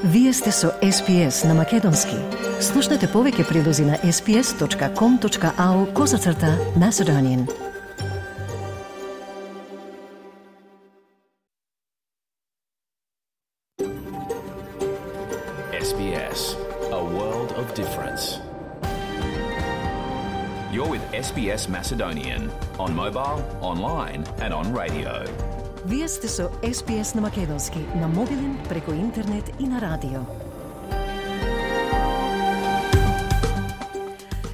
Вие сте со SPS на Македонски. Слушнете повеќе прилози на sps.com.au/Macedonian. SBS, a world of difference. You're with SBS Macedonian on mobile, online and on radio. Вие сте со SPS на Македонски, на мобилен, преку интернет и на радио.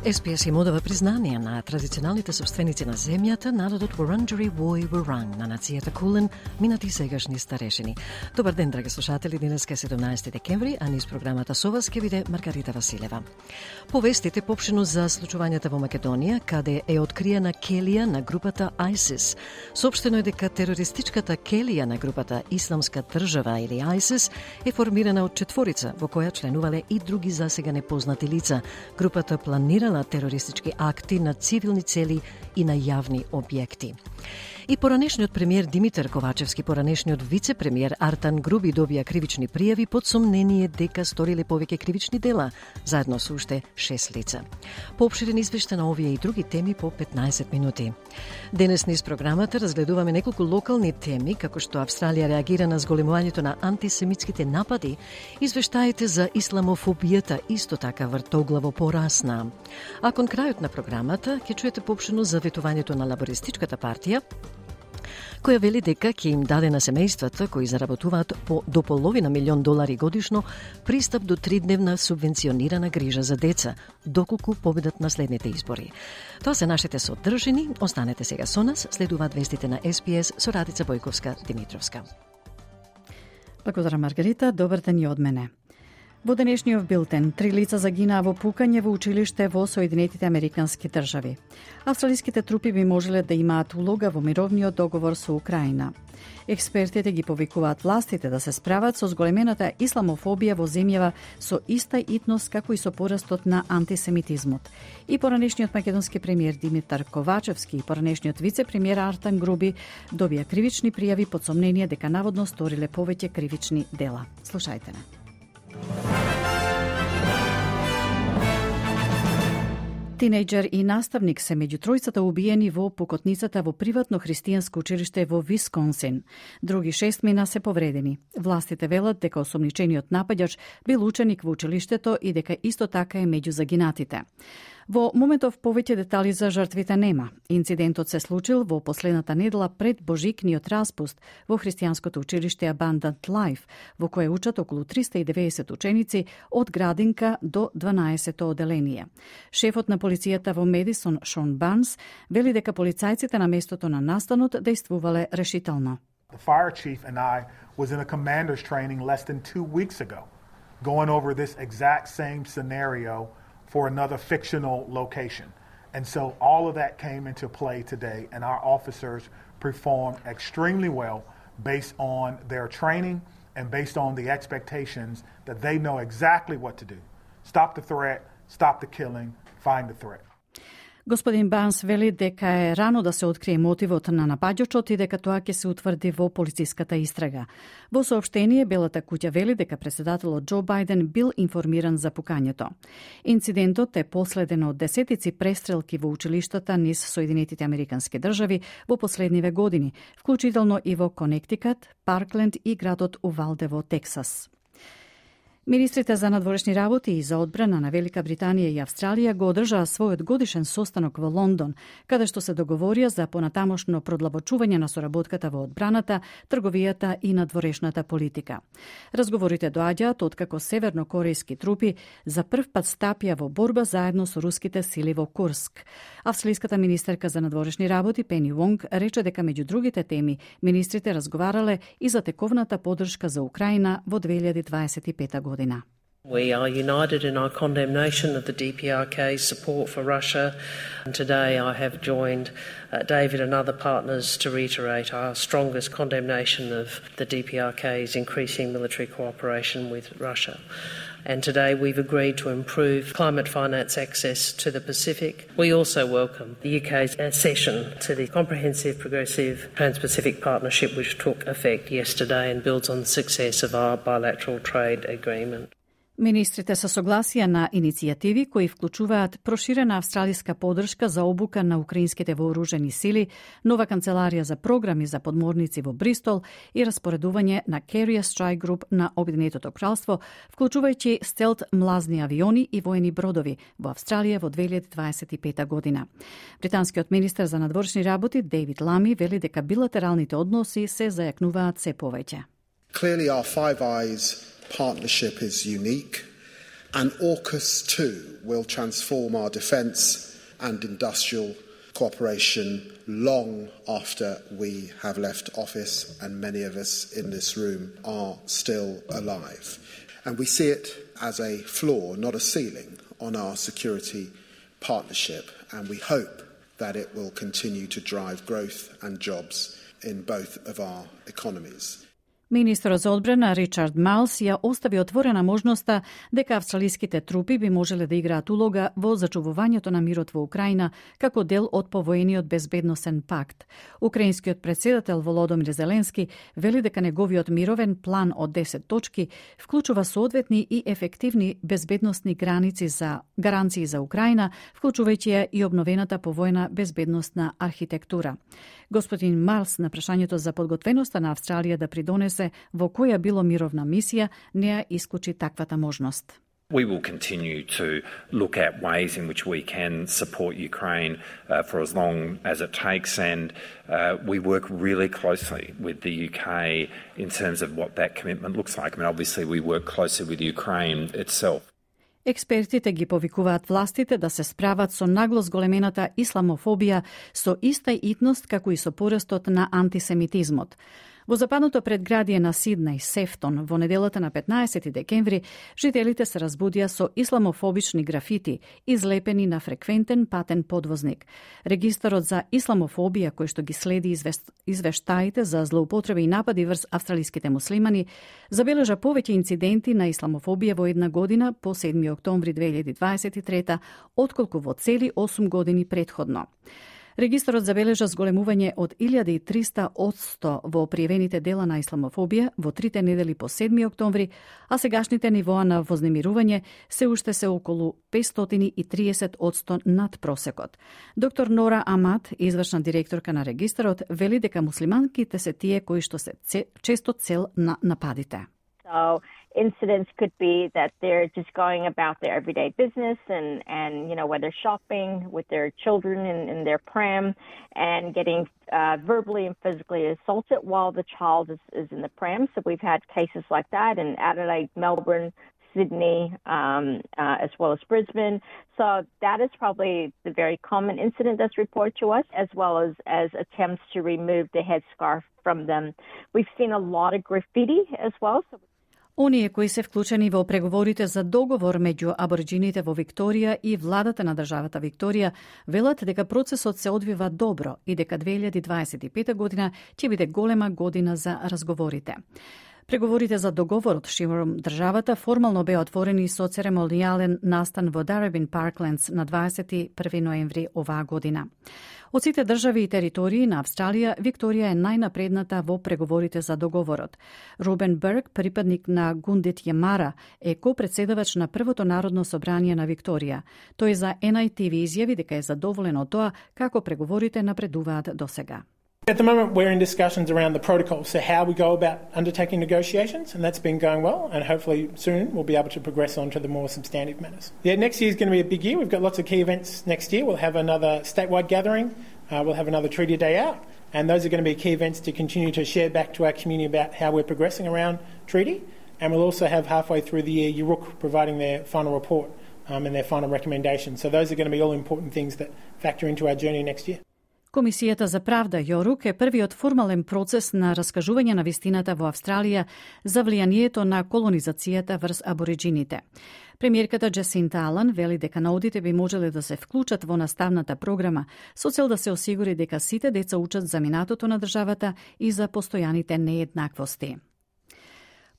SPS им одава признание на традиционалните собственици на земјата, народот Вурунджери Вой Вурунг, на нацијата Кулен, минати сегашни старешини. Добар ден, драги слушатели, денеска е 17 декември, а низ програмата со вас ке биде Маргарита Василева. Повестите попшено за случувањата во Македонија, каде е откриена келија на групата ISIS. Соопштено е дека терористичката келија на групата Исламска држава или ISIS е формирана од четворица, во која членувале и други засега непознати лица. Групата планирала терористички акти на цивилни цели и на јавни објекти. И поранешниот премиер Димитар Ковачевски, поранешниот вице-премиер Артан Груби добија кривични пријави под сомнение дека сториле повеќе кривични дела, заедно со уште 6 лица. Поопширен извештај на овие и други теми по 15 минути. Денес низ програмата разгледуваме неколку локални теми, како што Австралија реагира на зголемувањето на антисемитските напади, извештаите за исламофобијата исто така вртоглаво порасна. А кон крајот на програмата ќе чуете поопшено за ветувањето на лабористичката партија, која вели дека ќе им даде на семејствата кои заработуваат до $500,000 годишно пристап до 3-дневна субвенционирана грижа за деца, доколку победат на следните избори. Тоа се нашите содржини. Останете сега со нас, следуваат вестите на SPS со Радица Бојковска-Димитровска. Благодарам, Маргарита. Добар ден и од мене. Во денешниот билтен, 3 лица загинаа во пукање во училиште во Соединетите Американски држави. Австралиските трупи би можеле да имаат улога во мировниот договор со Украина. Експертите ги повикуваат властите да се справат со зголемената исламофобија во земјава со иста итност како и со порастот на антисемитизмот. И поранешниот македонски премиер Димитар Ковачевски и поранешниот вице-премиер Артан Груби добија кривични пријави под сомнение дека наводно сториле повеќе кривични дела. Слушајте не. Тинејџер и наставник се меѓу тројцата убиени во пукотницата во приватно христијанско училиште во Висконсин. Други 6 мина се повредени. Властите велат дека осомничениот напаѓач бил ученик во училиштето и дека исто така е меѓу загинатите. Во моментов повеќе детали за жртвите нема. Инцидентот се случил во последната недела пред божикниот распуст во христијанското училиште Abundant Life, во кое учат околу 390 ученици од градинка до 12-то оделение. Шефот на полицијата во Медисон, Шон Барнс, вели дека полицајците на местото на настанот действувале решително. The fire chief and I was in a commander's training less than 2 weeks ago, going over this exact same scenario for another fictional location. And so all of that came into play today, and our officers performed extremely well based on their training and based on the expectations that they know exactly what to do. Stop the threat, stop the killing, find the threat. Господин Барнс вели дека е рано да се открие мотивот на напаѓачот и дека тоа ќе се утврди во полициската истрага. Во соопштение, Белата куќа вели дека претседателот Џо Бајден бил информиран за пукањето. Инцидентот е последен од десетици престрелки во училиштата низ Соединетите Американски држави во последниве години, вклучително и во Конектикат, Паркленд и градот Увалде во Тексас. Министрите за надворешни работи и за одбрана на Велика Британија и Австралија го одржаа својот годишен состанок во Лондон, каде што се договорија за понатамошно продлабочување на соработката во одбраната, трговијата и надворешната политика. Разговорите доаѓаат откако севернокорејски трупи за прв пат стапија во борба заедно со руските сили во Курск. Австралиската министерка за надворешни работи Пени Вонг рече дека меѓу другите теми министрите разговарале и за тековната поддршка за Украина во 2025 година. We are united in our condemnation of the DPRK's support for Russia. And today I have joined David and other partners to reiterate our strongest condemnation of the DPRK's increasing military cooperation with Russia. And today we've agreed to improve climate finance access to the Pacific. We also welcome the UK's accession to the Comprehensive Progressive Trans-Pacific Partnership, which took effect yesterday and builds on the success of our bilateral trade agreement. Министрите се согласија на иницијативи кои вклучуваат проширена австралиска поддршка за обука на украинските вооружени сили, нова канцеларија за програми за подморници во Бристол и распоредување на Carrier Strike Group на Обединетото кралство, вклучувајќи стелт млазни авиони и воени бродови во Австралија во 2025 година. Британскиот министер за надворешни работи Дейвид Лами вели дека билатералните односи се зајакнуваат се повеќе. Clearly our Five Eyes partnership is unique, and AUKUS too will transform our defence and industrial cooperation long after we have left office and many of us in this room are still alive. And we see it as a floor, not a ceiling, on our security partnership, and we hope that it will continue to drive growth and jobs in both of our economies. Министерот за одбрана Ричард Малс ја остави отворена можноста дека австралиските трупи би можеле да играат улога во зачувувањето на мирот во Украина како дел од повоениот безбедносен пакт. Украинскиот председател Володомир Зеленски вели дека неговиот мировен план од 10 точки вклучува соодветни и ефективни безбедносни гаранции за Украина, вклучувајќи ја и обновената повоена безбедносна архитектура. Господин Малс на прашањето за подготвеноста на Австралија да придонесе во која било мировна мисија, не ја исклучи таквата можност. We will continue to look at ways in which we can support Ukraine for as long as it takes, and we work really closely with the UK in terms of what that commitment looks like. I mean, obviously we work closely with Ukraine itself. Експертите ги повикуваат властите да се справат со нагло зголемената исламофобија со иста итност како и со порастот на антисемитизмот. Во западното предградие на Сиднеј, Сефтон, во неделата на 15 декември, жителите се разбудија со исламофобични графити, излепени на фреквентен патен подвозник. Регистарот за исламофобија, кој што ги следи извештаите за злоупотреби и напади врз австралиските муслимани, забележа повеќе инциденти на исламофобија во една година по 7 октомври 2023, отколку во цели 8 години претходно. Регистарот забележа зголемување од 1300% во пријавените дела на исламофобија во 3 недели по 7 октомври, а сегашните нивоа на вознемирување се уште се околу 530% над просекот. Доктор Нора Амат, извршна директорка на регистарот, вели дека муслиманките се тие кои што се често цел на нападите. So incidents could be that they're just going about their everyday business and you know, whether shopping with their children in their pram and getting verbally and physically assaulted while the child is in the pram. So we've had cases like that in Adelaide, Melbourne, Sydney, as well as Brisbane. So that is probably the very common incident that's reported to us, as well as attempts to remove the headscarf from them. We've seen a lot of graffiti as well. Оние кои се вклучени во преговорите за договор меѓу абориджините во Викторија и владата на државата Викторија велат дека процесот се одвива добро и дека 2025 година ќе биде голема година за разговорите. Преговорите за договорот широм државата формално беа отворени со церемонијален настан во Дарабин Парклендс на 21 ноември оваа година. Од сите држави и територии на Австралија, Викторија е најнапредната во преговорите за договорот. Робен Берг, припадник на Гундит Јамара, е ко-председавач на Првото народно собрание на Викторија. Тој за NITV изјави дека е задоволен од тоа како преговорите напредуваат досега. At the moment, we're in discussions around the protocol, so how we go about undertaking negotiations, and that's been going well, and hopefully soon we'll be able to progress on to the more substantive matters. Yeah, next year is going to be a big year. We've got lots of key events next year. We'll have another statewide gathering, we'll have another Treaty Day Out, and those are going to be key events to continue to share back to our community about how we're progressing around treaty, and we'll also have halfway through the year Yuruk providing their final report and their final recommendations. So those are going to be all important things that factor into our journey next year. Комисијата за правда Јорук е првиот формален процес на раскажување на вистината во Австралија за влијанието на колонизацијата врз абориджините. Премиерката Джасинта Алан вели дека наудите би можеле да се вклучат во наставната програма со цел да се осигури дека сите деца учат за минатото на државата и за постојаните нееднаквости.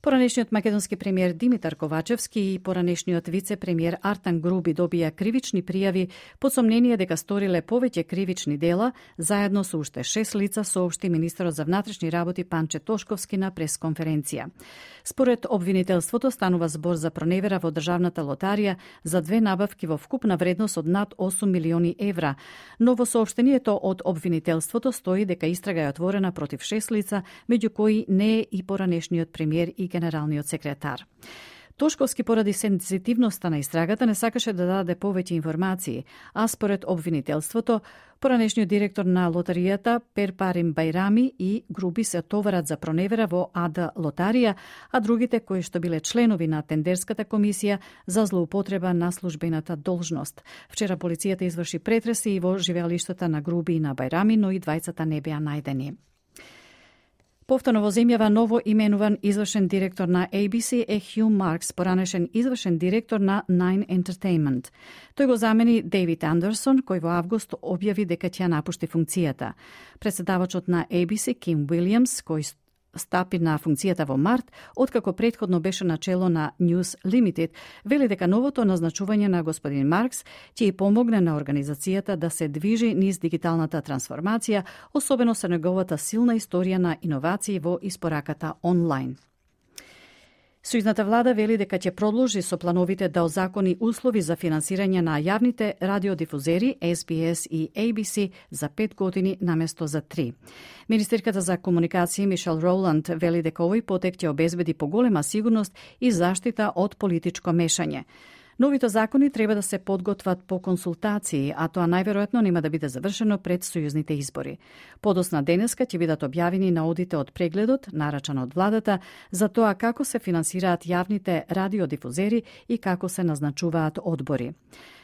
Поранешниот македонски премиер Димитар Ковачевски и поранешниот вице-премиер Артан Груби добија кривични пријави под сомнение дека сториле повеќе кривични дела, заедно со уште 6 лица, соопшти министерот за внатрешни работи Панче Тошковски на пресконференција. Според обвинителството станува збор за проневера во државната лотарија за 2 набавки во вкупна вредност од над 8 милиони евра, но во соопштението од обвинителството стои дека истрага е отворена против 6 лица, меѓу кои не е и поранешниот премиер и генералниот секретар. Тошковски поради сензитивноста на истрагата не сакаше да даде повеќе информации, а според обвинителството, поранешниот директор на лотаријата Перпарим Байрами и Груби се товарат за проневера во АД Лотарија, а другите кои што биле членови на тендерската комисија за злоупотреба на службената должност. Вчера полицијата изврши претреси и во живеалиштата на Груби и на Байрами, но и двајцата не беа најдени. Повторно во земјава ново именуван извршен директор на ABC е Хју Маркс, поранешен извршен директор на Nine Entertainment. Тој го замени Дейвид Андерсон, кој во август објави дека ќе напушти функцијата. Претседавачот на ABC, Ким Уилјамс, кој стапи на функцијата во март, откако претходно беше начело на News Limited, вели дека новото назначување на господин Маркс ќе и помогне на организацијата да се движи низ дигиталната трансформација, особено со неговата силна историја на иновации во испораката онлайн. Сојузната влада вели дека ќе продолжи со плановите да озакони услови за финансирање на јавните радиодифузери SBS и ABC за 5 години наместо за 3. Министерката за комуникација Мишел Роланд вели дека овој потек ќе обезбеди поголема сигурност и заштита од политичко мешање. Новите закони треба да се подготват по консултации, а тоа најверојатно нема да биде завршено пред сојузните избори. Подосна денеска ќе бидат објавени наодите од прегледот, нарачан од владата, за тоа како се финансираат јавните радиодифузери и како се назначуваат одбори.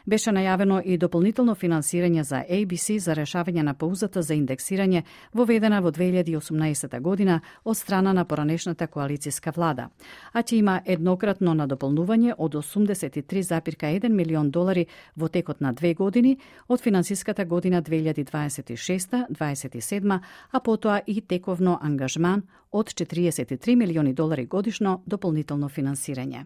Беше најавено и дополнително финансирање за ABC за решавање на паузата за индексирање воведена во 2018 година од страна на поранешната коалицијска влада, а ќе има еднократно надополнување од 83,1 милион долари во текот на 2 години од финансиската година 2026-27, а потоа и тековно ангажман од 43 милиони долари годишно дополнително финансирање.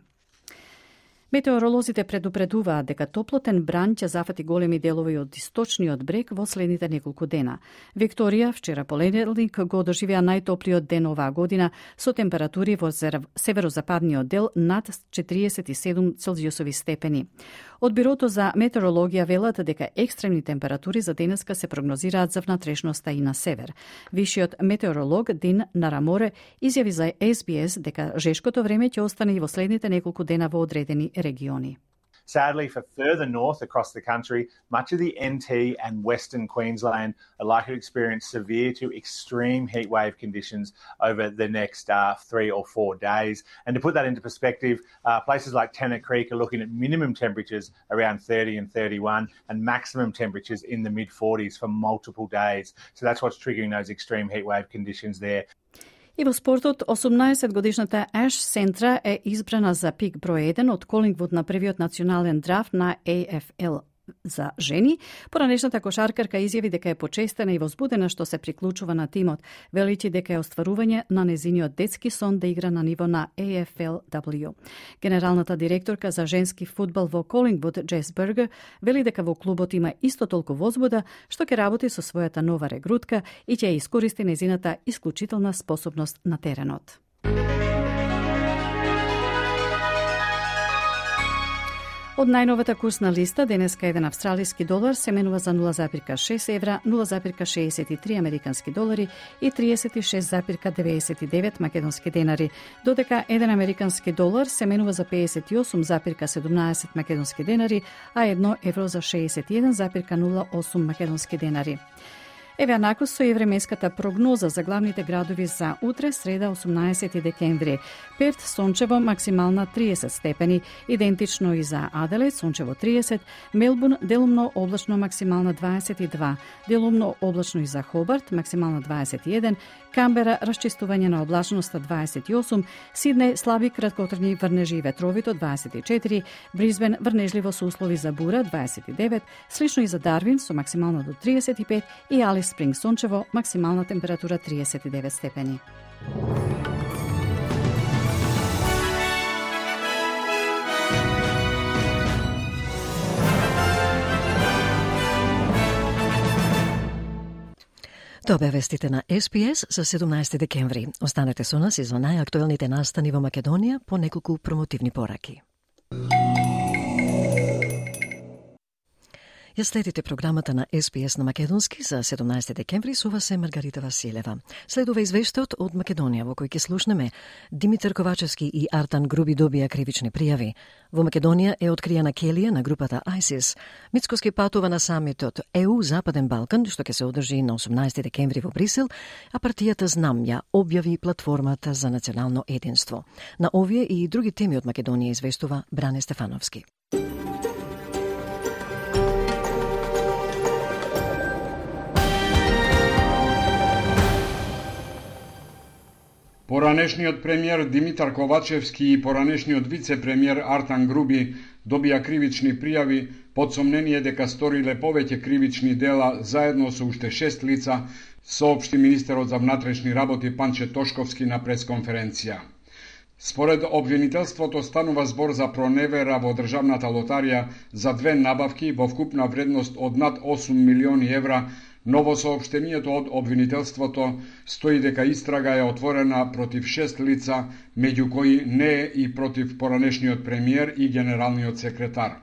Метеоролозите предупредуваат дека топлотен бран ќе зафати големи делови од источниот брег во следните неколку дена. Викторија вчера понеделник го доживеа најтоплиот ден оваа година со температури во северозападниот дел над 47 целзиусови степени. Од Бирото за метеорологија велат дека екстремни температури за денеска се прогнозираат за внатрешноста и на север. Вишиот метеоролог Дин Нараморе изјави за SBS дека жешкото време ќе остане и во следните неколку дена во одредени региони. Sadly, for further north across the country, much of the NT and Western Queensland are likely to experience severe to extreme heatwave conditions over the next 3 or 4 days. And to put that into perspective, places like Tennant Creek are looking at minimum temperatures around 30 and 31 and maximum temperatures in the mid-40s for multiple days. So that's what's triggering those extreme heatwave conditions there. И во спортот, 18-годишната Аш Сентра е избрана за пик број 1 од Колингвуд на првиот национален драфт на AFL за жени. Поранешната кошаркарка изјави дека е почестена и возбудена што се приклучува на тимот, величи дека е остварување на незиниот детски сон да игра на ниво на AFLW. Генералната директорка за женски фудбал во Колингвуд, Джес Бергер, вели дека во клубот има исто толку возбуда што ќе работи со својата нова регрутка и ќе ја искористи незината исклучителна способност на теренот. Од најновата курсна листа, денеска еден австралиски долар се менува за 0,6 евра, 0,63 американски долари и 36,99 македонски денари, додека еден американски долар се менува за 58,17 македонски денари, а 1 евро за 61,08 македонски денари. Еве накусо и временската прогноза за главните градови за утре, среда 18 декември. Перт сончево максимална 30 степени, идентично и за Аделаид сончево 30, Мелбурн делумно облачно максимална 22, делумно облачно и за Хобарт максимална 21, Камбера расчистување на облачноста 28, Сиднеј слаби краткотрajни врнежи и ветровито 24, Бризбен врнежливо со услови за бура 29, слично и за Дарвин со максимално до 35 и Алис Спринг сончево максимална температура 39 степени. Тоа беа вестите на СПС за 17 декември. Останете со нас и за најактуелните настани во Македонија по неколку промотивни пораки. Ја следите програмата на СПС на Македонски за 17 декември, со вас е Маргарита Василева. Следува извештајот од Македонија во кој ќе слушнеме Димитар Ковачевски и Артан Груби добија кривични пријави. Во Македонија е откриена келија на групата ISIS. Мицкоски патува на самитот ЕУ Западен Балкан, што ќе се одржи на 18 декември во Брисел, а партијата Знам ја објави платформата за национално единство. На овие и други теми од Македонија извештува Бране Стефановски. Поранешниот премиер Димитар Ковачевски и поранешниот вице-премиер Артан Груби добија кривични пријави под сомнение дека сториле повеќе кривични дела заедно со уште 6 лица, соопшти министерот за внатрешни работи Панче Тошковски на пресконференција. Според обвинителството станува збор за проневера во државната лотарија за 2 набавки во вкупна вредност од над 8 милиони евра. Но во соопштенијето од обвинителството стои дека истрага е отворена против 6 лица, меѓу кои не е и против поранешниот премиер и генералниот секретар.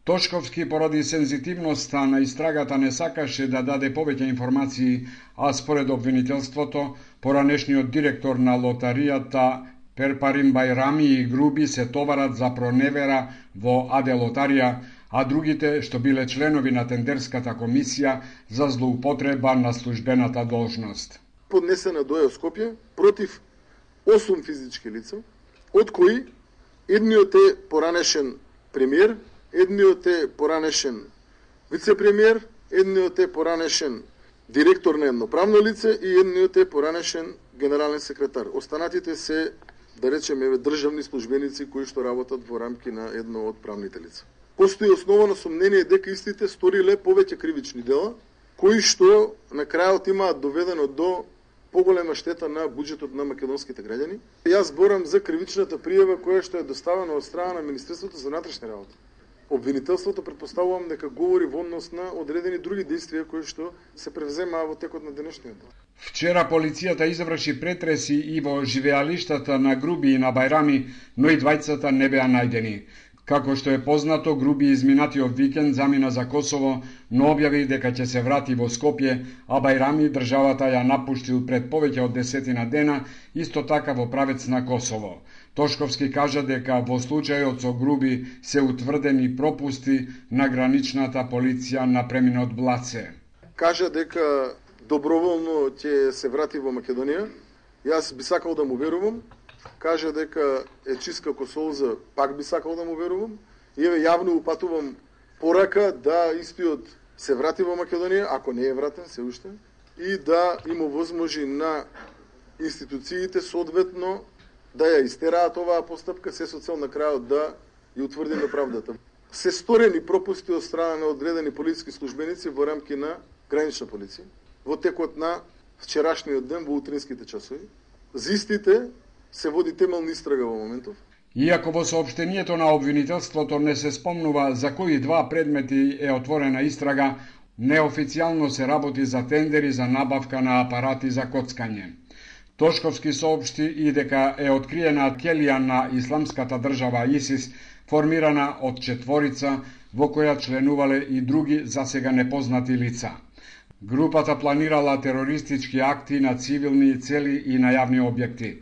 Тошковски поради сензитивноста на истрагата не сакаше да даде повеќе информации, а според обвинителството, поранешниот директор на лотаријата Перпарим Байрами и Груби се товарат за проневера во АД Лотарија, а другите што биле членови на тендерската комисија за злоупотреба на службената должност. Поднесена доја Скопје против 8 физички лица, од кои едниот е поранешен премиер, едниот е поранешен вице-премиер, едниот е поранешен директор на едно правно лице и едниот е поранешен генерален секретар. Останатите се, да речеме, државни службеници кои што работат во рамки на едно од правните лица. Постои основано сомнение дека истите сториле повеќе кривични дела, кои што на крајот имаат доведено до поголема штета на буџетот на македонските граѓани. Јас зборам за кривичната пријава која што е доставена од страна на Министерството за внатрешни работи. Обвинителството претпоставувам дека говори во однос на одредени други действија кои што се превземаа во текот на денешниот ден. Вчера полицијата изврши претреси и во живеалиштата на Груби и на Байрами, но и двајцата не беа најдени. Како што е познато, Груби изминатиот викенд замина за Косово, но објави дека ќе се врати во Скопје, а Байрами државата ја напуштил пред повеќе од 10 дена, исто така во правец на Косово. Тошковски кажа дека во случајот со Груби се утврдени пропусти на граничната полиција на преминот Блаце. Кажа дека доброволно ќе се врати во Македонија. Јас би сакал да му верувам. Кажа дека е чист како солза, пак би сакал да му верувам. И еве јавно упатувам порака да истиот се врати во Македонија, ако не е вратен се уште, и да има возможи на институциите соодветно да ја истераат оваа постапка, се со цел на крајот да ја утврдиме правдата. Се сторени пропусти од страна на одредени полициски службеници во рамки на гранична полиција во текот на вчерашниот ден во утринските часови. За истите се води темелна истрага во моментов. Иако во соопштението на обвинителството не се спомнува за кои два предмети е отворена истрага, неофицијално се работи за тендери за набавка на апарати за коцкање. Тошковски соопшти и дека е откриена келија на исламската држава ИСИС, формирана од 4 во која членувале и други засега непознати лица. Групата планирала терористички акти на цивилни цели и на јавни објекти.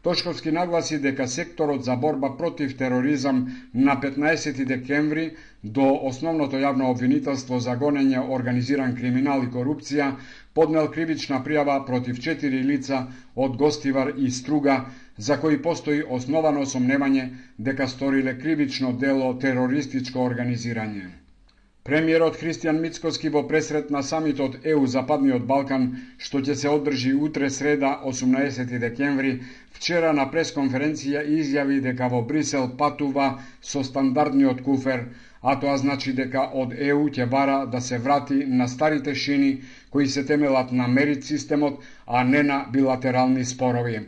Тошковски нагласи дека секторот за борба против тероризам на 15 декември до основното јавно обвинителство за гонење организиран криминал и корупција поднел кривична пријава против 4 лица од Гостивар и Струга, за кои постои основано сомневање дека сториле кривично дело терористичко организирање. Премиерот Христијан Мицкоски во пресрет на самитот ЕУ Западниот Балкан, што ќе се одржи утре среда 18 декември, вчера на пресконференција изјави дека во Брисел патува со стандардниот куфер, а тоа значи дека од ЕУ ќе бара да се врати на старите шини кои се темелат на мерит системот, а не на билатерални спорови.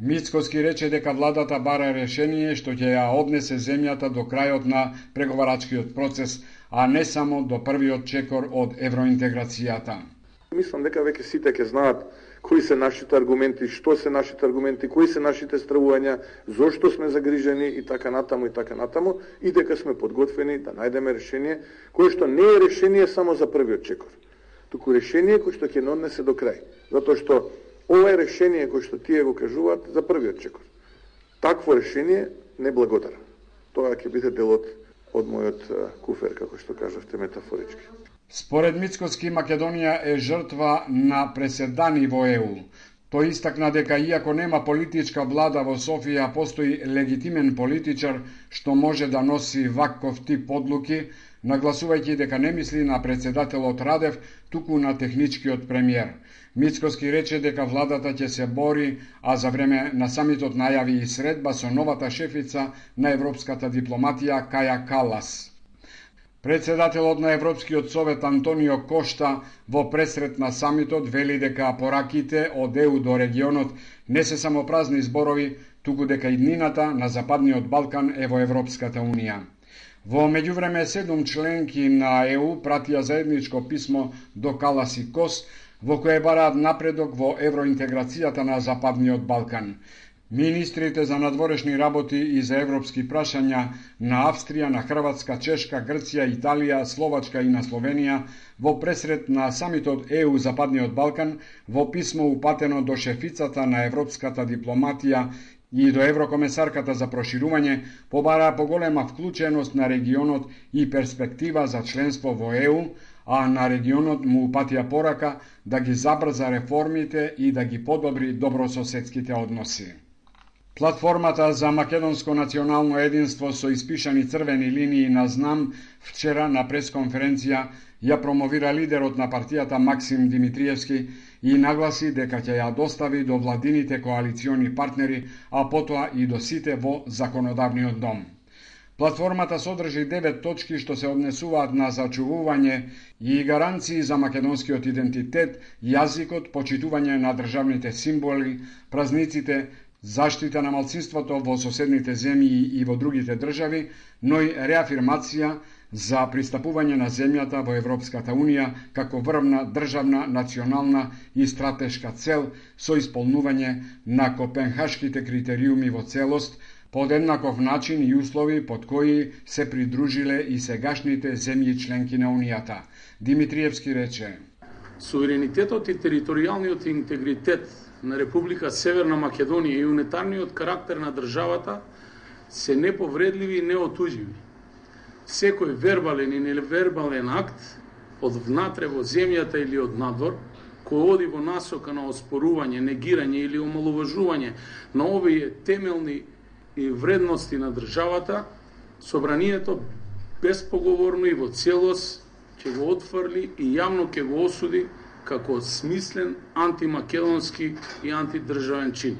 Мицкоски рече дека владата бара решение што ќе ја однесе земјата до крајот на преговарачкиот процес, а не само до првиот чекор од евроинтеграцијата. Мислам дека веќе сите ќе знаат кои се нашите аргументи, што се нашите аргументи, кои се нашите стравувања, зошто сме загрижени и така натаму, и дека сме подготвени да најдеме решение кое што не е решение само за првиот чекор, туку решение кое што ќе не однесе до крај, затоа што ова е решение кое што тие го кажуваат за првиот чекор. Такво решение не благодарам. Тоа ќе биде делот од мојот куфер, како што кажавте метафорички. Според Мицкоски, Македонија е жртва на преседани во ЕУ. Тој истакна дека иако нема политичка влада во Софија, постои легитимен политичар што може да носи ваков тип одлуки, нагласувајќи дека не мисли на председателот Радев, туку на техничкиот премиер. Мицкоски рече дека владата ќе се бори, а за време на самитот најави и средба со новата шефица на европската дипломатија Каја Калас. Председателот на Европскиот совет Антонио Кошта во пресрет на самитот вели дека пораките од ЕУ до регионот не се само празни зборови, туку дека иднината на Западниот Балкан е во Европската Унија. Во меѓувреме 7 членки на ЕУ пратија заедничко писмо до Калас и Кос, во кое бараат напредок во евроинтеграцијата на Западниот Балкан. Министрите за надворешни работи и за европски прашања на Австрија, на Хрватска, Чешка, Грција, Италија, Словачка и на Словенија во пресрет на самитот ЕУ Западниот Балкан во писмо упатено до шефицата на европската дипломатија и до еврокомесарката за проширување побараа поголема вклученост на регионот и перспектива за членство во ЕУ, а на регионот му упатија порака да ги забрза реформите и да ги подобри добрососедските односи. Платформата за македонско национално единство со испишани црвени линии на знам вчера на пресконференција ја промовира лидерот на партијата Максим Димитриевски и нагласи дека ќе ја достави до владините коалициони партнери, а потоа и до сите во законодавниот дом. Платформата содржи 9 точки што се однесуваат на зачувување и гаранции за македонскиот идентитет, јазикот, почитување на државните символи, празниците, заштита на малцинството во соседните земји и во другите држави, но и реафирмација за пристапување на земјата во Европската Унија како врвна државна, национална и стратешка цел со исполнување на копенхашките критериуми во целост, под еднаков начин и услови под кои се придружиле и сегашните земји членки на Унијата. Димитриевски рече: Суверенитетот и територијалниот интегритет на Република Северна Македонија и унитарниот карактер на државата се неповредливи и неотуживи. Секој вербален и невербален акт од внатре во земјата или од надвор, кој оди во насока на оспорување, негирање или омалуважување на овие темелни и вредности на државата, собранието безпоговорно и во целост ќе го отфрли и јавно ќе го осуди како смислен антимакедонски и антидржавен чин.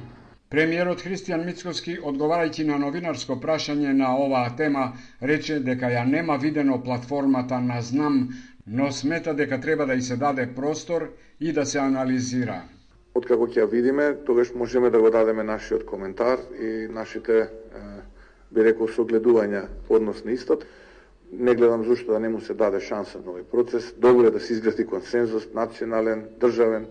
Премиерот Христијан Мицкоски, одговарајќи на новинарско прашање на оваа тема, рече дека ја нема видено платформата на знам, но смета дека треба да и се даде простор и да се анализира. Откако ќе ја видиме, тогаш можеме да го дадеме нашиот коментар и нашите, би рекол, согледувања односно истот. Не гледам зашто да не му се даде шанса на овој процес. Добро е да се изгради консензус, национален, државен,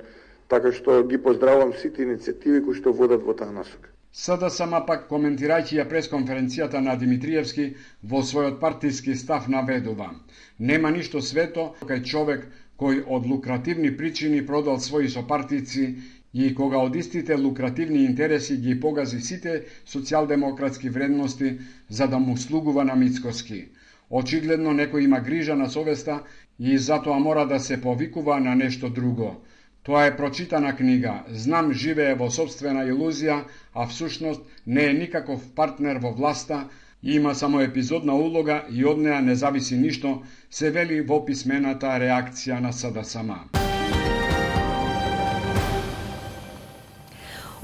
така што ги поздравувам сите иницијативи кои што водат во таа насока. СДСМ пак, коментирајќи ја пресконференцијата на Димитриевски, во својот партиски став наведува: нема ништо свето кај човек кој од лукративни причини продал своји сопартици и кога од истите лукративни интереси ги погази сите социјалдемократски вредности за да му слугува на мицкоски. Очигледно некој има грижа на совеста и затоа мора да се повикува на нешто друго. Тоа е прочитана книга. Знам живее во собствена илузија, а всушност не е никаков партнер во власта, има само епизодна улога и од неа не зависи ништо, се вели во писмената реакција на СДСМ.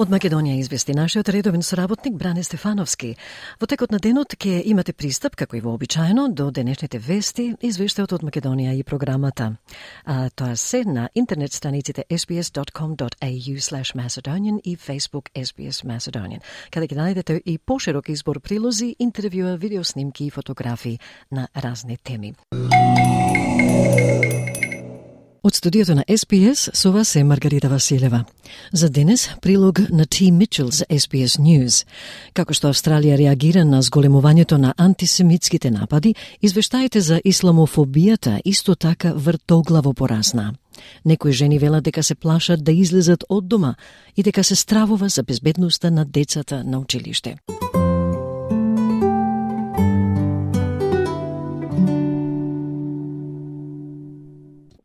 Од Македонија извести нашиот редовен соработник Бране Стефановски. Во текот на денот ќе имате пристап, како и вообичаено, до денешните вести, извештајот од Македонија и програмата. Тоа се на интернет страниците sbs.com.au/Macedonian и Facebook SBS Macedonian, каде ќе најдете и поширок избор прилози, интервјуа, видеоснимки и фотографии на разни теми. Од студиото на SBS со вас е Маргарита Василева. За денес прилог на T. Mitchell за SBS News. Како што Австралија реагира на зголемувањето на антисемитските напади, извештаите за исламофобијата исто така вртоглаво порасна. Некои жени велат дека се плашат да излезат од дома и дека се стравува за безбедноста на децата на училиште.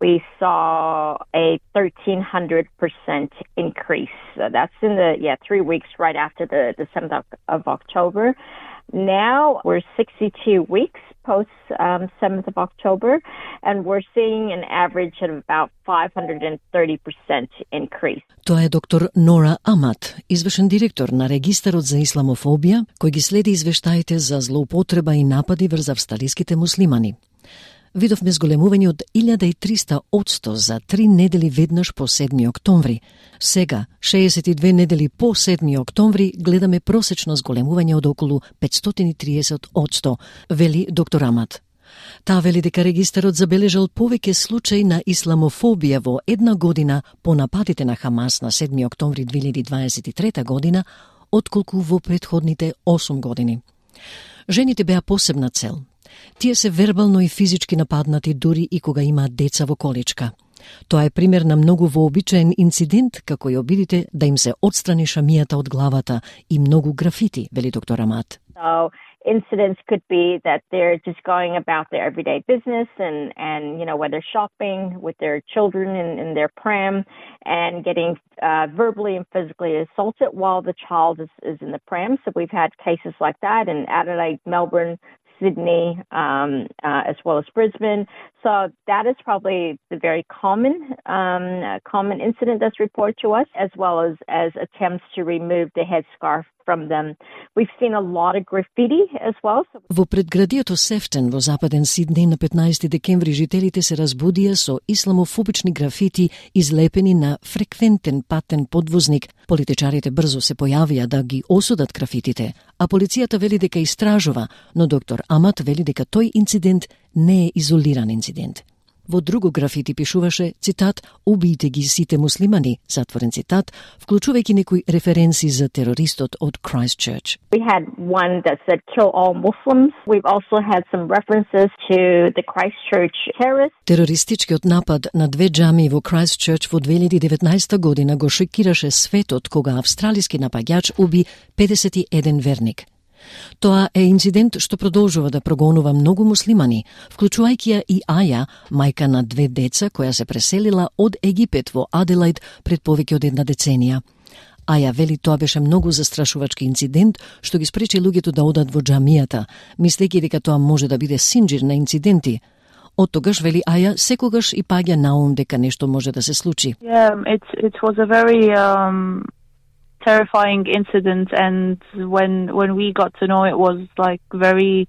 We saw a 1,300% increase. That's in the 3 weeks right after the 7th of October. Now we're 62 weeks post 7th of October, and we're seeing an average of about 530% increase. Тоа е доктор Нора Амат, извршен директор на Регистарот за исламофобија, кој ги следи извештаите за злоупотреба и напади врз австралиските муслимани. Видовме зголемување од 1300% за 3 недели веднаш по 7 октомври. Сега, 62 недели по 7 октомври, гледаме просечно зголемување од околу 530%, вели доктор Амат. Таа вели дека регистарот забележал повеќе случаи на исламофобија во една година по нападите на Хамас на 7 октомври 2023 година, отколку во претходните 8 години. Жените беа посебна цел. Тие се вербално и физички нападнати дури и кога имаат деца во количка. Тоа е пример на многу вообичаен инцидент, како и обидите да им се отстрани шамијата од главата и многу графити, вели доктор Амат. So incidents could be that they're just going about their everyday business and whether shopping with their children in their pram and getting verbally and physically assaulted while the child is in the pram. So we've had cases like that in Adelaide, Melbourne, Sydney, as well as Brisbane. So that is probably the very common incident that's reported to us, as well as attempts to remove the headscarf from them. We've seen a lot of graffiti as well. Во предградието Сефтен во западен Сиднеј на 15 декември жителите се разбудија со исламофобични графити излепени на фреквентен патен подвозник. Политичарите брзо се појавија да ги осудат графитите, а полицијата вели дека истражува, но доктор Амат вели дека тој инцидент не е изолиран инцидент. Во друго графити пишуваше, цитат, "Убијте ги сите муслимани", затворен цитат, вклучувајќи некои референции за терористот од Christchurch. We had one that said "Kill all Muslims." We've also had some references to the Christchurch terrorist. Терористичкиот напад на 2 џамии во Christchurch во 2019 година го шокираше светот кога австралиски напаѓач уби 51 верник. Тоа е инцидент што продолжува да прогонува многу муслимани, вклучувајќи ја и Аја, мајка на 2 деца која се преселила од Египет во Аделаид пред повеќе од 1 деценија. Аја вели тоа беше многу застрашувачки инцидент што ги спречи луѓето да одат во џамијата, мислејќи дека тоа може да биде синџир на инциденти. Од тогаш, вели Аја, секогаш и паѓа на ум дека нешто може да се случи. It was a very terrifying incident, and when we got to know, it was like very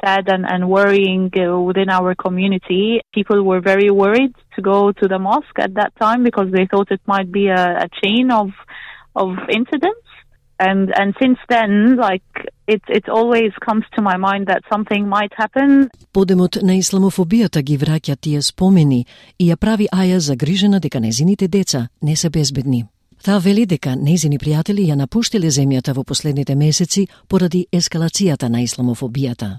sad and worrying within our community. People were very worried to go to the mosque at that time because they thought it might be a chain of incidents. And since then, like it always comes to my mind that something might happen. Подемот на исламофобијата ги враќа тие спомени и ја прави Аја загрижена дека незините деца не се безбедни. Таа вели дека нејзини пријатели ја напуштиле земјата во последните месеци поради ескалацијата на исламофобијата.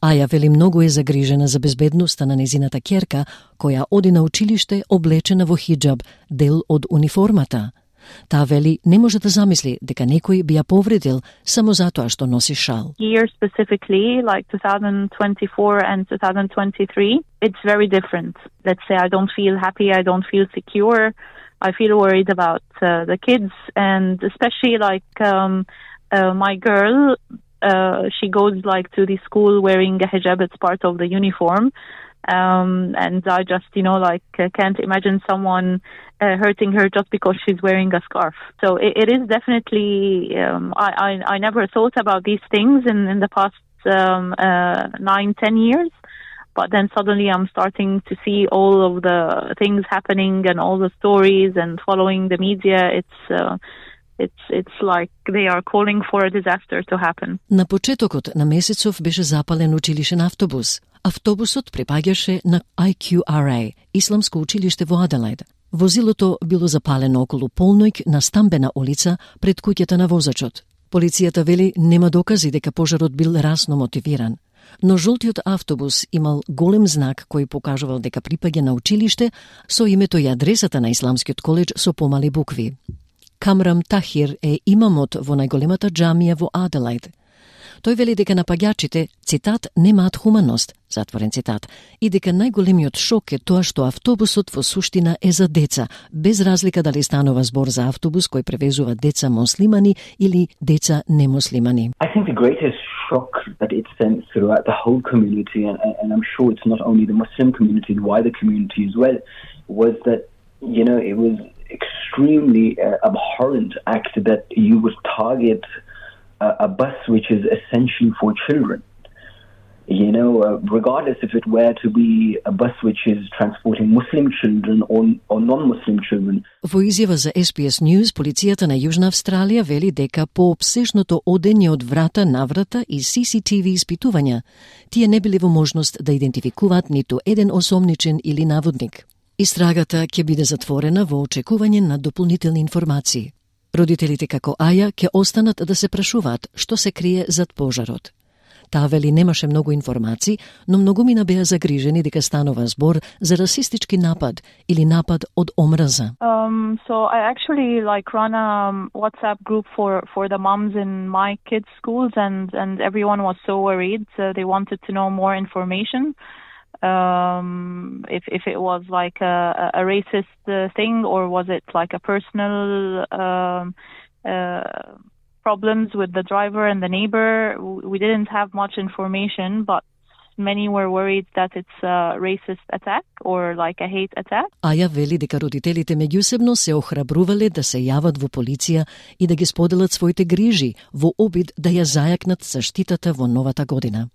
Аја вели многу е загрижена за безбедноста на незината ќерка, која оди на училиште облечена во хиџаб, дел од униформата. Таа вели не може да замисли дека некој би ја повредил само затоа што носи шал. Year specifically, like 2024 and 2023, it's very different. Let's say I don't feel happy, I don't feel secure, I feel worried about the kids, and especially like my girl, she goes like to the school wearing a hijab, it's part of the uniform. And I just, can't imagine someone hurting her just because she's wearing a scarf. So it is definitely, I never thought about these things in the past 9-10 years. But then suddenly I'm starting to see all of the things happening and all the stories and following the media. It's like they are calling for a disaster to happen. На почетокот на месецов беше запален училишен автобус. Автобусот припаѓаше на IQRA, Исламско училиште во Аделајд. Возилото било запалено околу полноќ на Стамбена улица пред куќата на возачот. Полицијата вели нема докази дека пожарот бил расно мотивиран. Но жолтиот автобус имал голем знак кој покажувал дека припаѓа на училиште со името и адресата на Исламскиот коледж со помали букви. Камрам Тахир е имамот во најголемата џамија во Аделајд. Тој вели дека напаѓачите, цитат, немаат хуманност, затворен цитат, и дека најголемиот шок е тоа што автобусот во суштина е за деца, без разлика дали станува збор за автобус кој превезува деца муслимани или деца немуслимани. I think the greatest shock that it sent throughout the whole community, and I'm sure it's not only the Muslim community, the wider community as well, was that, it was extremely abhorrent act that you would target a bus which is essentially for children. Regardless if it were to be a bus which is transporting Muslim children or non-Muslim children. Во изјава за SBS News, полицијата на Јужна Австралија вели дека по обсешното одење од врата на врата и CCTV испитувања, тие не биле во можност да идентификуваат ниту еден осомничен или наводник. Истрагата ќе биде затворена во очекување на дополнителни информации. Родителите како Аја ќе останат да се прашуваат што се крие зад пожарот. Таа вели немаше многу информации, но многумина беа загрижени дека станува збор за расистички напад или напад од омраза. So I actually run a WhatsApp group for the moms in my kids' schools, and everyone was so worried. So they wanted to know more information. If it was like a racist thing, or was it like a personal problems with the driver and the neighbor. We didn't have much information, but many were worried that it's a racist attack or like a hate attack. Аја вели дека родителите меѓусебно се охрабрувале да се јават во полиција и да ги споделат своите грижи во обид да ја зајакнат заштитата во новата година.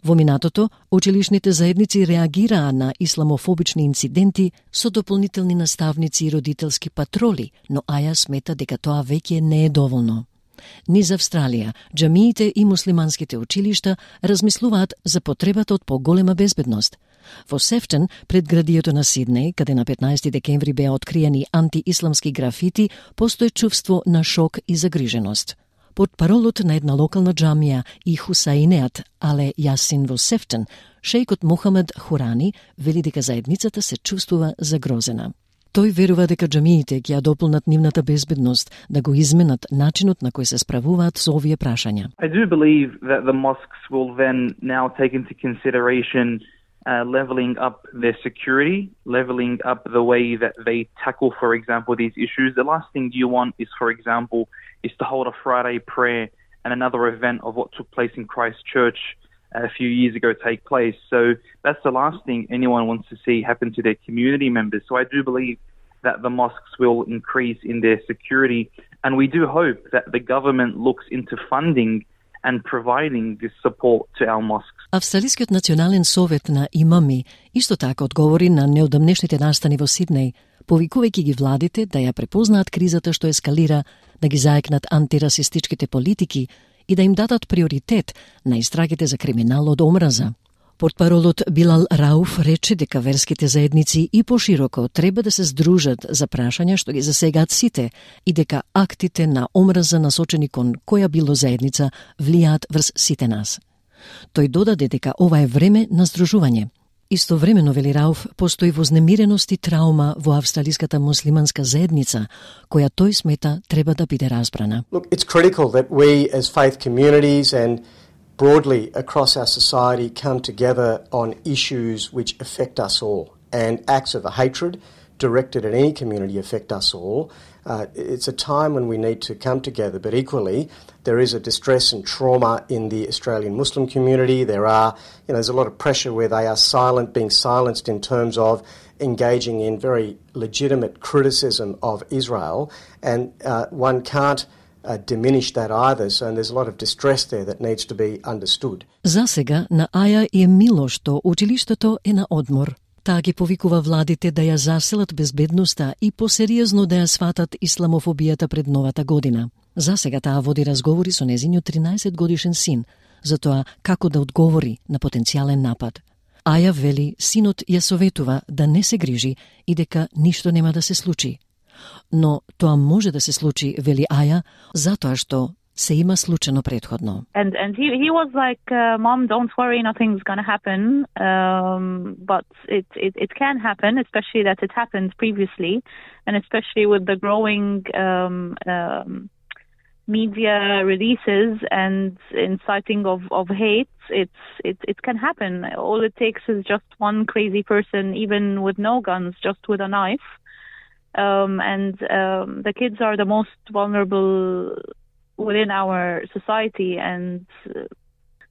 Во минатото, училишните заедници реагираа на исламофобични инциденти со дополнителни наставници и родителски патроли, но Аја смета дека тоа веќе не е доволно. Низ Австралија, џамиите и муслиманските училишта размислуваат за потребата од поголема безбедност. Во Сефтон, предградието на Сиднеј, каде на 15 декември беа откриени антиисламски графити, постои чувство на шок и загриженост. Под паролот на една локална џамија и Хусаинеат Але Јасин во Сефтон, шејкот Мухамед Хурани вели дека заедницата се чувствува загрозена. Тој верува дека џамиите ќе ја дополнат нивната безбедност, да го изменат начинот на кој се справуваат со овие прашања. I do believe that the mosques will then now take into consideration leveling up their security, leveling up the way that they tackle, for example, these issues. The last thing you want is, for example, is to hold a Friday prayer and another event of what took place in Christchurch a few years ago take place. So that's the last thing anyone wants to see happen to their community members. So I do believe that the mosques will increase in their security, and we do hope that the government looks into funding and providing this support to our mosques. Австралискиот национален совет на имами исто така одговори на неодамнешните настани во Сиднеј, повикувајќи ги владите да ја препознаат кризата што ескалира, да ги заекнат антирасистичките политики и да им дадат приоритет на истрагите за криминал од омраза. Портпаролот Билал Рауф рече дека верските заедници и пошироко треба да се здружат за прашања што ги засегаат сите и дека актите на омраза насочени кон која било заедница влијаат врз сите нас. Тој додаде дека ова е време на здружување. Истовремено, вели Рауф, постои вознемиреност и траума во австралиската муслиманска заедница, која тој смета треба да биде разбрана. Look, it's critical that we as faith communities and broadly across our society come together on issues which affect us all, and acts of hatred directed at any community affect us all. It's a time when we need to come together, but equally there is a distress and trauma in the Australian Muslim community. There's a lot of pressure where they are being silenced in terms of engaging in very legitimate criticism of Israel, and one can't diminish that either, so there's a lot of distress there that needs to be understood. За сега на Аја е мило што училиштето е на одмор. Таа ги повикува владите да ја заселат безбедноста и посериозно да ја сватат исламофобијата пред новата година. За сега таа води разговори со незиниот 13-годишен син за тоа како да одговори на потенцијален напад. Аја вели синот ја советува да не се грижи и дека ништо нема да се случи. Но тоа може да се случи, вели Аја, затоа што се има случено предходно. And he was like, Mom, don't worry, nothing's going to happen. But it can happen, especially that it happened previously, and especially with the growing media releases and inciting of hate. It can happen. All it takes is just one crazy person, even with no guns, just with a knife. The kids are the most vulnerable within our society, and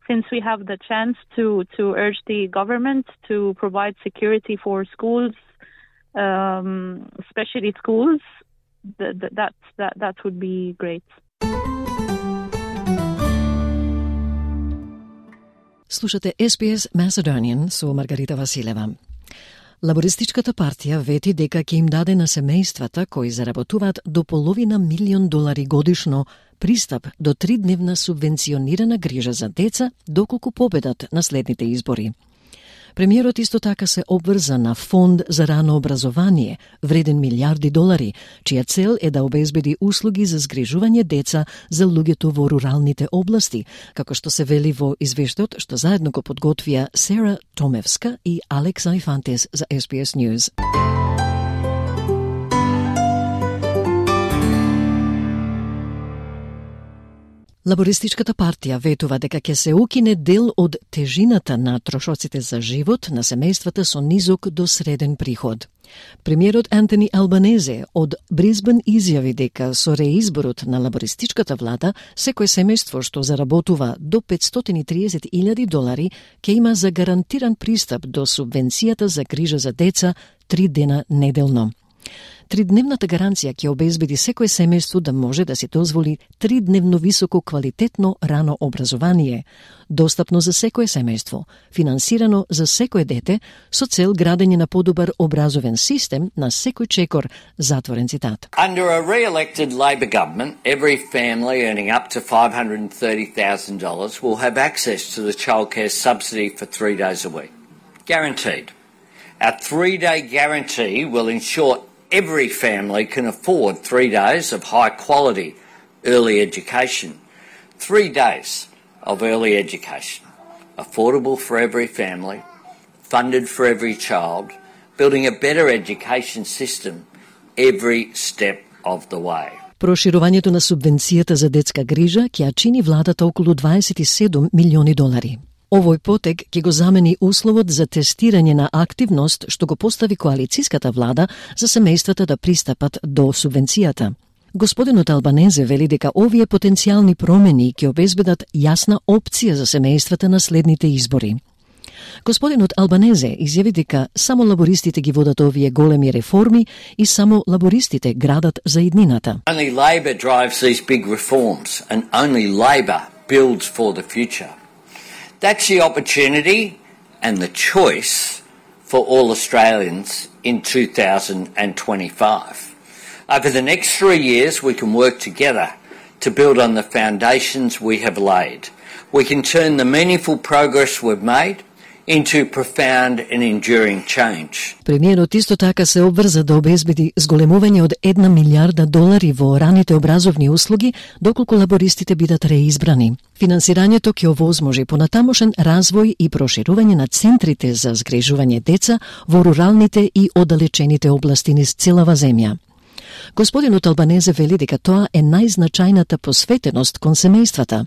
since we have the chance to urge the government to provide security for schools, especially schools, that would be great. Слушате SBS Macedonian со Маргарита Василева. Лабористичката партија вети дека ќе им даде на семејствата кои заработуваат до $500,000 годишно пристап до 3-дневна субвенционирана грижа за деца доколку победат на следните избори. Премиерот исто така се обврза на фонд за рано образование, вреден $1,000,000, чија цел е да обезбеди услуги за згрижување деца за луѓето во руралните области, како што се вели во извештајот што заедно го подготвија Сера Томевска и Алекса Инфантес за SBS News. Лабористичката партија ветува дека ќе се укине дел од тежината на трошоците за живот на семејствата со низок до среден приход. Премиерот Антони Албанезе од Брисбен изјави дека со реизборот на лабористичката влада секој семејство што заработува до $530,000 ќе има загарантиран пристап до субвенцијата за грижа за деца 3 дена неделно. 3-дневната гаранција ќе обезбеди секој семејство да може да си дозволи 3-дневно високо квалитетно рано образование, достапно за секој семејство, финансирано за секој дете, со цел градење на подобар образовен систем на секој чекор, затворен цитат. Under a re-elected Labor government, every family earning up to $530,000 will have access to the childcare subsidy for 3 days a week. Guaranteed. Our 3-day guarantee will ensure every family can afford 3 days of high-quality early education. 3 days of early education, affordable for every family, funded for every child, building a better education system every step of the way. Проширувањето на субвенцијата за детска грижа ќе ја чини владата околу $27 милиони. Овој потек ќе го замени условот за тестирање на активност што го постави коалициската влада за семејствата да пристапат до субвенцијата. Господинот Албанезе вели дека овие потенцијални промени ќе обезбедат јасна опција за семејствата на следните избори. Господинот Албанезе изјави дека само лабористите ги водат овие големи реформи и само лабористите градат за иднината. Only Labor drives these big reforms and only Labor builds for the future. That's the opportunity and the choice for all Australians in 2025. Over the next 3 years, we can work together to build on the foundations we have laid. We can turn the meaningful progress we've made into profound and enduring change. Премиерот исто така се обврза да обезбеди зголемување од $1 милиарда во раните образовни услуги доколку лабористите бидат реизбрани. Финансирањето ќе овозможи понатамошен развој и проширување на центрите за згрижување деца во руралните и оддалечените области низ целава земја. Господинот Албанезе вели дека тоа е најзначајната посветеност кон семејствата,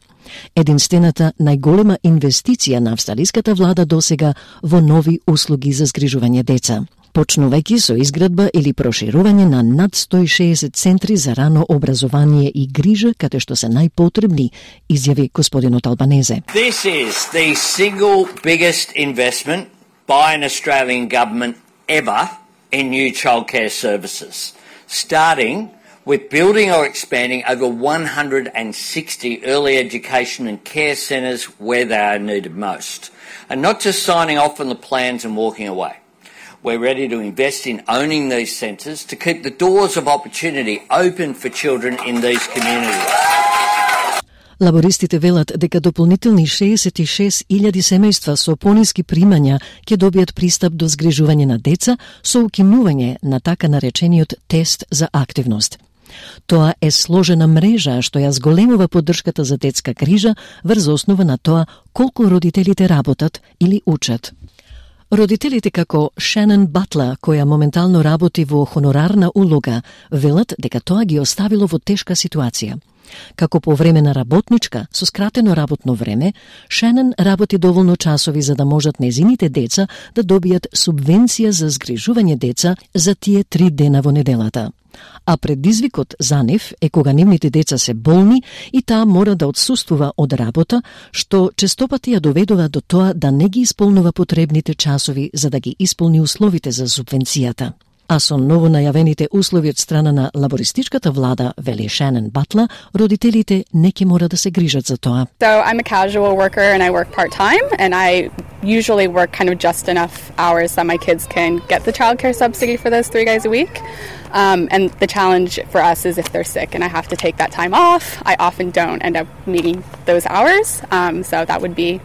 единствената најголема инвестиција на австралиската влада досега во нови услуги за згрижување деца, почнувајќи со изградба или проширување на над 160 центри за рано образование и грижа, каде што се најпотребни, изјави господинот Албанезе. This is the single biggest investment by an Australian government ever in new childcare services, starting with building or expanding over 160 early education and care centres where they are needed most, and not just signing off on the plans and walking away. We're ready to invest in owning these centres to keep the doors of opportunity open for children in these communities. Лабористите велат дека дополнителни 66.000 семејства со пониски примања ќе добијат пристап до згрижување на деца со укинување на така наречениот тест за активност. Тоа е сложена мрежа што ја зголемува поддршката за детска грижа врз основа на тоа колку родителите работат или учат. Родителите како Шенон Батла, која моментално работи во хонорарна улога, велат дека тоа ги оставило во тешка ситуација. Како повремена работничка со скратено работно време, Шенон работи доволно часови за да можат незините деца да добијат субвенција за згрижување деца за тие 3 дена во неделата. А предизвикот за нив е кога нивните деца се болни и таа мора да отсуствува од работа, што честопати ја доведува до тоа да не ги исполнува потребните часови за да ги исполни условите за субвенцијата. А со ново најавените услови од страна на лабористичката влада, вели Шенон Батла, родителите не ќе мора да се грижат за тоа. So I'm a casual worker and I work part-time and I usually work kind of just enough hours that my kids can get the childcare subsidy for those 3 days a week. And the challenge for us is if they're sick and I have to take that time off, I often don't end up meeting those hours. So that would be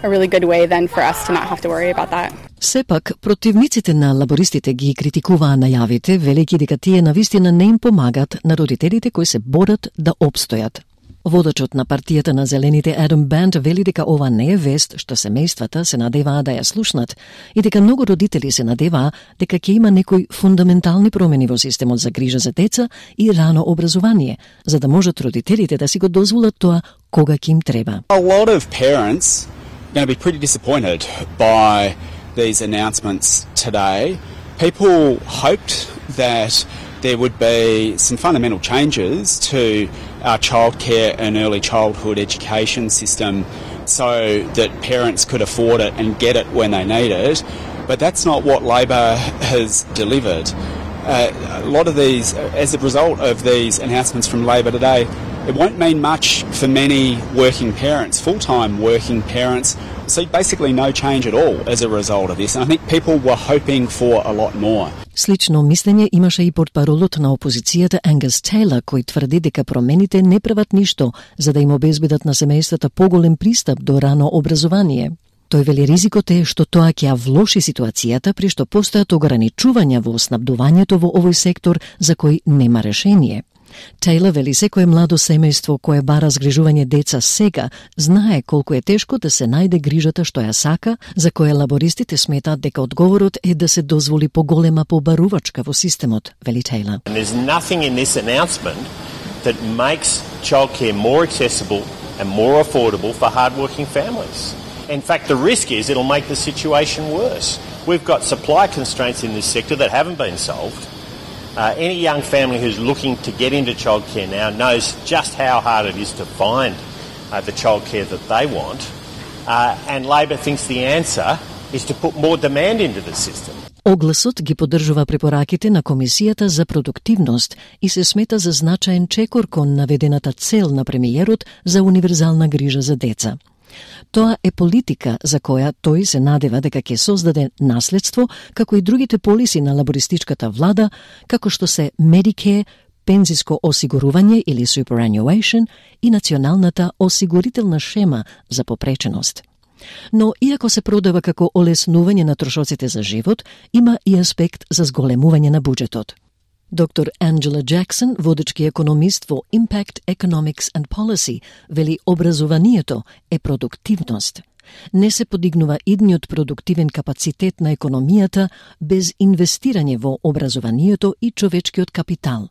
a really good way then for us to not have to worry about that. Сепак, противниците на лабористите ги критикуваа најавите, велејќи дека тие навистина не им помагат на родителите кои се борат да опстојат. Водачот на партијата на Зелените Адам Банд вели дека ова не е вест што семејствата се надеваа да ја слушнат и дека многу родители се надеваа дека ќе има некои фундаментални промени во системот за грижа за деца и рано образование, за да можат родителите да си го дозволат тоа кога ќе им треба. A lot of parents are going to be pretty disappointed by these announcements today. People hoped that there would be some fundamental changes to our childcare and early childhood education system so that parents could afford it and get it when they need it. But that's not what Labor has delivered. A lot of these, as a result of these announcements from Labor today, it won't mean much for many working parents, full-time working parents. So basically no change at all as a result of this. And I think people were hoping for a lot more. Слично мислење имаше и портпаролот на опозицијата Ангус Тейлор, кој тврди дека промените не прават ништо за да им обезбедат на семејствата поголем пристап до рано образование. Тој вели ризикот е што тоа ќе ја влоши ситуацијата при што постојат ограничувања во снабдувањето во овој сектор за кој нема решение. Тейлор вели секое младо семејство кое бара згрижување деца сега знае колку е тешко да се најде грижата што ја сака, за кое лабористите сметаат дека одговорот е да се дозволи поголема побарувачка во системот, вели Тейлор. There's nothing in this announcement that makes childcare more accessible and more affordable for hardworking families. In fact, the risk is it'll make the situation worse. We've got supply constraints in this sector that haven't been solved. Any young family who's looking to get into childcare now knows just how hard it is to find the childcare that they want. And Labor thinks the answer is to put more demand into the system. Огласот ги поддржува препораките на Комисијата за продуктивност и се смета за значаен чекор кон наведената цел на премиерот за универзална грижа за деца. Тоа е политика за која тој се надева дека ќе создаде наследство, како и другите полиси на лабористичката влада, како што се Medicare, пензиско осигурување или superannuation и националната осигурителна шема за попреченост. Но иако се продава како олеснување на трошоците за живот, има и аспект за зголемување на буџетот. Доктор Анджела Джаксон, водечки економист во Impact Economics and Policy, вели образованието е продуктивност. Не се подигнува идниот продуктивен капацитет на економијата без инвестирање во образованието и човечкиот капитал.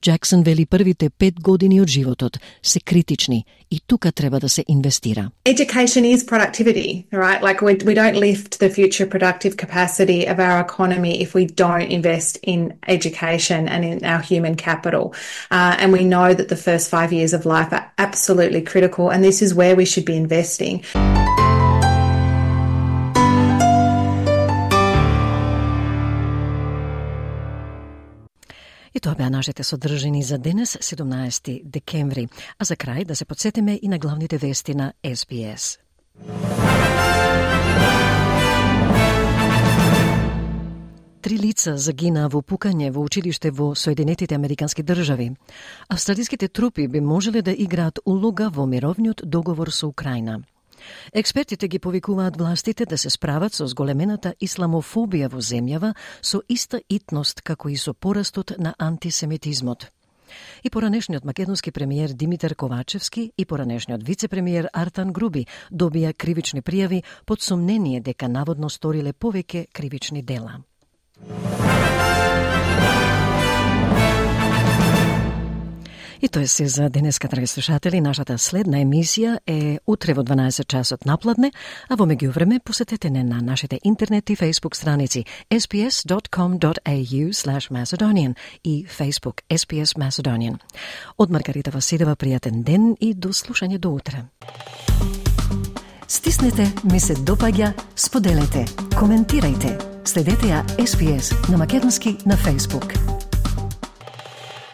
Джаксон вели првите 5 години од животот се критични и тука треба да се инвестира. Education is productivity, right? Like we don't lift the future productive capacity of our economy if we don't invest in education and in our human capital. And we know that the first 5 years of life are absolutely critical, and this is where we should be investing. И тоа беа нашите содржини за денес, 17 декември. А за крај да се подсетиме и на главните вести на SBS. Три лица загинаа во пукање во училиште во Соединетите Американски држави. Австралиските трупи би можеле да играат улога во мировниот договор со Украина. Експертите ги повикуваат властите да се справат со зголемената исламофобија во земјава со иста итност како и со порастот на антисемитизмот. И поранешниот македонски премиер Димитар Ковачевски и поранешниот вице-премиер Артан Груби добија кривични пријави под сомнение дека наводно сториле повеќе кривични дела. И тоа се за денеска, драги слушатели. Нашата следна емисија е утре во 12 часот напладне, а во меѓувреме посетете не на нашите интернет и Facebook страници sbs.com.au/Macedonian и Facebook SBS Macedonian. Од Маргарита Василева, пријатен ден и до слушање до утре. Стиснете, ми се допаѓа, споделете, коментирајте. Следете ја SBS на македонски на Facebook.